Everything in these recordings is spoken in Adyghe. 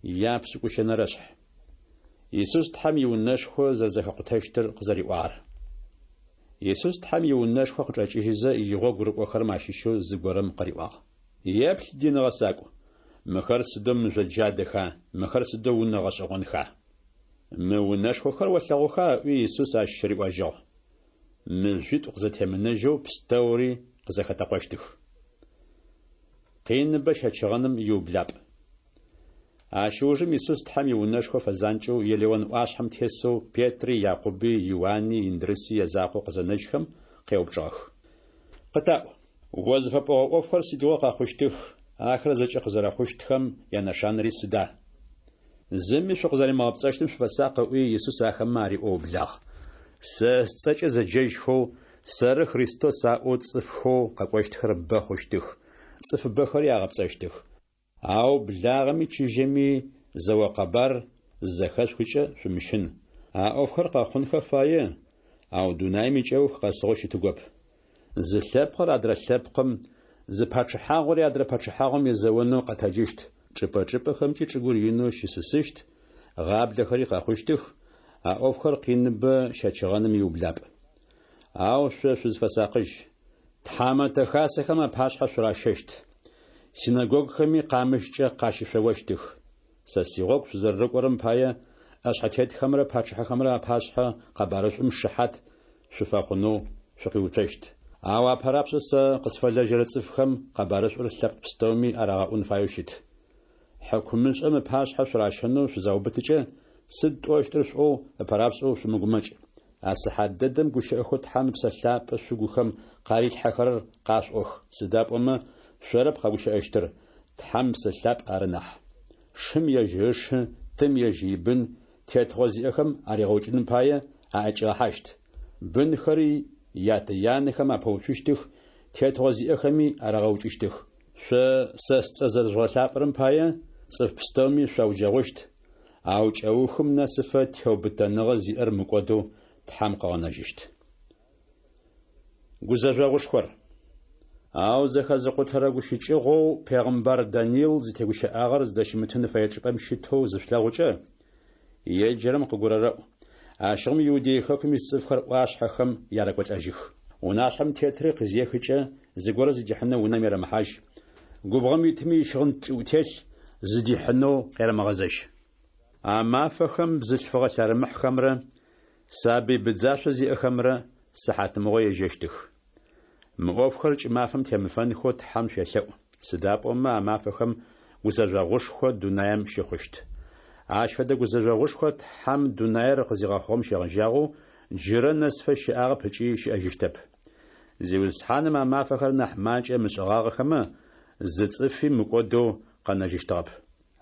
Япшӏыкӏущэнэрэшъхь. Исус Тхьэм иунэшхо зэрэзэхэкъутэщтыр къызэриӏуагъэр. Исус Тхьэм иунэшхо къычӏэкӏыжьызэ, игъогу рыкӏохэрэм ащыщэу зыгорэм къыриӏуагъ. Еплъ, дин гъэсакӏу, мыхэр сыдэу мыжъо джадэха, мыхэр сыдэу унэ гъэшӏэгъонха! Мы унэшхохэр олъэгъуха? ыӏуи, Исус ащ риӏожьыгъ. Мыжъуитӏу къызэтемынэжьэу пстэури къызэхэтэкъощтых. Къиныбэ щэчыгъэным иублапӏ. Ащ ыужым Исус Тхьэм иунэшхо фэзанкӏэу Елеон ӏуашъхьэм тесэу Петри, Якъуби, Иуани, Индрыси язакъоу къызэнэжьхэм, къеупчӏыгъэх. Къытаӏу, о зыфэпӏогъэ ӏофхэр сыдигъо къэхъущтых, ахэр зэкӏэ къызэрэхъущтхэм янэшанэри сыда? Зыми шъукъызэримыгъэпцӏэщтым шъуфэсакъ, ыӏуи, Исус ахэмэ ариӏоу ыублагъ. Сэ сцӏэкӏэ зэджэжьхэу, Сэры Христос аӏоу цӏыфхэу къэкӏощтхэр бэ хъущтых, цӏыфыбэхэри агъэпцӏэщтых. Ау благъэми чыжьэми зэо къэбар зызэхэшъухыкӏэ шъумыщын. А ӏофхэр къэхъунхэ фае, ау дунаим икӏэух къэсыгъэу щытыгоп. Зы лъэпкъыр адрэ лъэпкъым, зы пачъыхьагъори адрэ пачъыхьагъом езэонэу къэтэджыщт, чӏыпӏэ-чӏыпӏэхэмкӏи чӏыгур инэу щысысыщт, гъаблэхэри къэхъущтых, а ӏофхэр къиныбэ щэчыгъэным иублапӏ. Ау шъо шъузфэсакъыжь. Тхьамэтэ хасэхэм апашъхьэ шъуращэщт. Синэгогухэми къамыщкӏэ къащышъоощтых. Сэ сигъогу шъузэрэрыкӏорэм пае ӏэшъхьэтетхэмрэ пачъыхьэхэмрэ апашъхьэ къэбарышӏум шыхьат шъуфэхъунэу шъукъиуцощт. Ау апэрапшӏэ сэ къысфэлэжьэрэ цӏыфхэм къэбарышӏур лъэпкъ пстэуми арагъэӏун фаеу щыт. Хьыкумышӏэм ыпашъхьэ шъуращэнэу шъузаубытыкӏэ, сыд тӏощтыр шъуӏоу ыпэрапшӏэу шъумыгумэкӏ. А сыхьат дэдэм гущыӏэхэу Тхьэм Ыпсэ Лъапӏэ шъугухэм къарилъхьэхэрэр къашъуӏох, сыда пӏомэ шъорэп къэгущыӏэщтыр, Тхьэм Ыпсэ Лъапӏ ары нахь. Шым ежь ышы, тым ежь ибын тетыгъо зиӏэхэм аригъэукӏыным пае аӏэкӏигъэхьащт. Бынхэри ятэ-янэхэм апэуцущтых, тетыгъо зиӏэхэми арагъэукӏыщтых. Шъо сэ сцӏэ зэрэжъугъэлъапӏэрэм пае цӏыф пстэуми шъуауджэгъущт, ау кӏэухым нэсыфэ теубытэныгъэ зиӏэр мыкӏодэу Тхьэм къыгъэнэжьыщт. Гузэжъогъушхор. Ау зэхэзыкъутэрэ гущыкӏыгъоу пегъымбар Даниил зытегущыӏагъэр зыдэщымытын фэе чӏыпӏэм щытэу зышъулъэгъукӏэ, еджэрэм къыгурэрэӏу, ащыгъум Иудей хэкум ис цӏыфхэр ӏуашъхьэхэм ярэкӏолӏэжьых. Унашъхьэм тетри къызехыкӏэ зыгорэ зыдихьынэу унэм ерэмыхьажь, губгъом итми ищыгъын кӏыӏутелъ зыдихьынэу къерэмыгъэзэжь. А мафэхэм бзылъфыгъэ лъэрымыхьхэмрэ сабый быдзашъо зиӏэхэмрэ сыхьатмыгъо ежьэщтых. Мы ӏофхэр кӏымафэм темыфэнхэу Тхьэм шъуелъэӏу, сыда пӏомэ а мафэхэм гузэжъогъушхо дунаим щыхъущт. Ащ фэдэ гузэжъогъушхо Тхьэм дунаир къызигъэхъугъэм щегъэжьагъэу джырэ нэсыфэ щыӏагъэп ыкӏи щыӏэжьыщтэп. Зиусхьаным а мафэхэр нахь макӏэ ымышӏыгъагъэхэмэ, зы цӏыфи мыкӏодэу къэнэжьыщтыгъэп.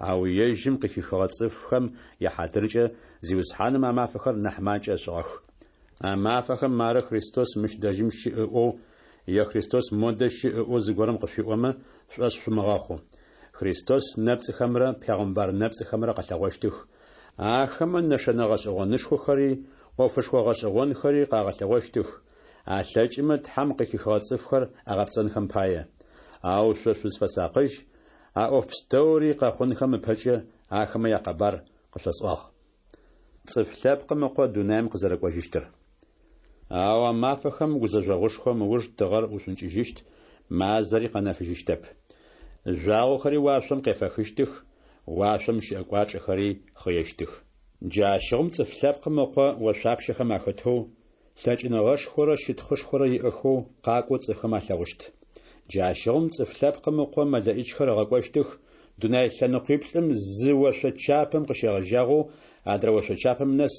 Ау ежьым къыхихыгъэ цӏыфхэм яхьатыркӏэ Зиусхьаным а мафэхэр нахь макӏэ ышӏыгъэх. А мафэхэм мары Христос мыщ дэжьым щыӏ ыӏоу, е Христос модэ щыӏ ыӏоу зыгорэм къышъуиӏомэ, шъушӏошъ шъумыгъэхъу. Христос нэпцӏыхэмрэ пегъымбар нэпцӏыхэмрэ къэлъэгъощтых. Ахэмэ нэшэнэ гъэшӏэгъонышхохэри, ӏофышхо гъэшӏэгъонхэри къагъэлъэгъощтых, алъэкӏымэ Тхьэм къыхихыгъэ цӏыфхэр агъэпцӏэнхэм пае. Ау шъо шъузфэсакъыжь, а ӏоф пстэури къэхъунхэм ыпэкӏэ ахэмэ якъэбар къышъосӏуагъ. Цӏыф Лъэпкъым Ыкъо дунаим къызэрэкӏожьыщтыр. Ау а мафэхэм гузэжъогъушхом ыуж тыгъэр ушӏункӏыжьыщт, мазэри къэнэфыжьыщтэп. Жъуагъохэри уашъом къефэхыщтых, уашъом щыӏэ кӏуачӏэхэри хъыещтых. Джащыгъум Цӏыф Лъэпкъым Ыкъо ошъуапщэхэм ахэтэу, лъэкӏыныгъэшхорэ щытхъушхорэ иӏэхэу къакӏоу цӏыфхэм алъэгъущт. Джащыгъум Цӏыф Лъэпкъым Ыкъо мэлэӏичхэр ыгъэкӏощтых, дунай лъэныкъуиплӏым зы ошъо чапэм къыщегъэжьагъэу адрэ ошъо чапэм нэс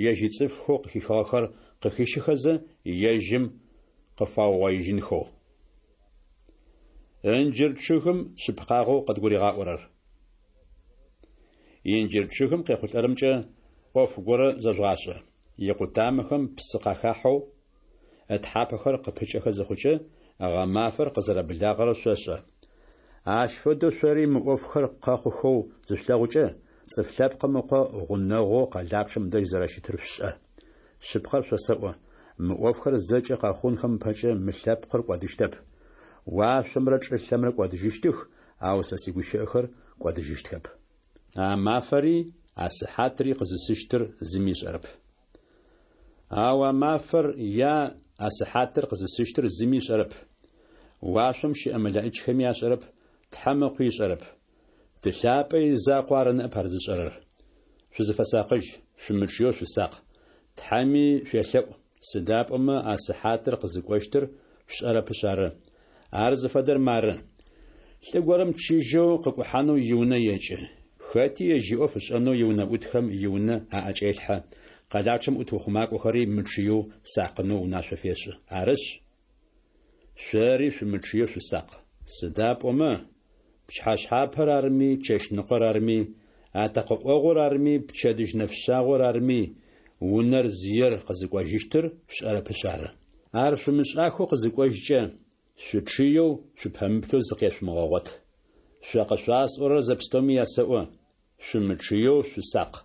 ежь ицӏыфхэу къыхихыгъэхэр къыхищыхэзэ, ежьым къыфаугъоижьынхэу. Ынджыр чъыгым шъыпкъагъэу къыдгуригъаӏорэр. Инджыр чъыгым къехъулӏэрэмкӏэ ӏоф горэ зэжъугъашӏэ. Икъутамэхэм псы къахахьэу, ытхьапэхэр къыпыкӏэхэ зыхъукӏэ, гъэмафэр къызэрэблагъэрэр шъошӏэ. Ащ фэдэу шъори мы ӏофхэр къэхъухэу зышъулъэгъукӏэ, Цӏыф Лъэпкъым Ыкъо гъунэгъоу къэлапчъэм дэжь зэрэщытыр шъушӏэ. Шъыпкъэр шъосэӏо, мы ӏофхэр зэкӏэ къэхъунхэм ыпэкӏэ мы лъэпкъыр кӏодыщтэп. Уашъомрэ чӏылъэмрэ кӏодыжьыщтых, ау сэ сигущыӏэхэр кӏодыжьыщтхэп. А мафэри а сыхьатри къызысыщтыр зыми ышӏэрэп. Ау а мафэр е а сыхьатыр къызысыщтыр зыми ышӏэрэп. Уашъом щыӏэ мэлэӏичхэми ашӏэрэп, Тхьэм Ыкъуи ышӏэрэп. Ты лъапӏэ изакъоу ары ныӏэп ар зышӏэрэр. Шъузыфэсакъыжь, шъумычъыеу шъусакъ, Тхьэми шъуелъэӏу, сыда пӏомэ а сыхьатыр къызыкӏощтыр шъушӏэрэпышъ ары. Ар зыфэдэр мары. Лӏы горэм чыжьэу къыкӏухьанэу иунэ екӏы. Хэти ежь иӏоф ышӏэнэу иунэӏутхэм иунэ аӏэкӏелъхьэ, къэлапчъэм ӏут ухъумакӏохэри мычъыеу сакъынэу унашъо фешӏы. Арышъ, шъори шъумычъыеу шъусакъ. Сыда пӏомэ, пчыхьэшъхьапэр арми, чэщныкъор арми, атэкъэ ӏогъур арми, пчэдыжь нэфшъагъор арми, унэр зиер къызыкӏожьыщтыр шъушӏэрэпышъ ары. Ар шъумышӏахэу къызыкӏожькӏэ, шъучъыеу, шъупэмыплъэу зыкъешъумыгъэгъот. Шъо къышъуасӏорэр зэпстэуми ясэӏо: Шъумычъыеу шъусакъ.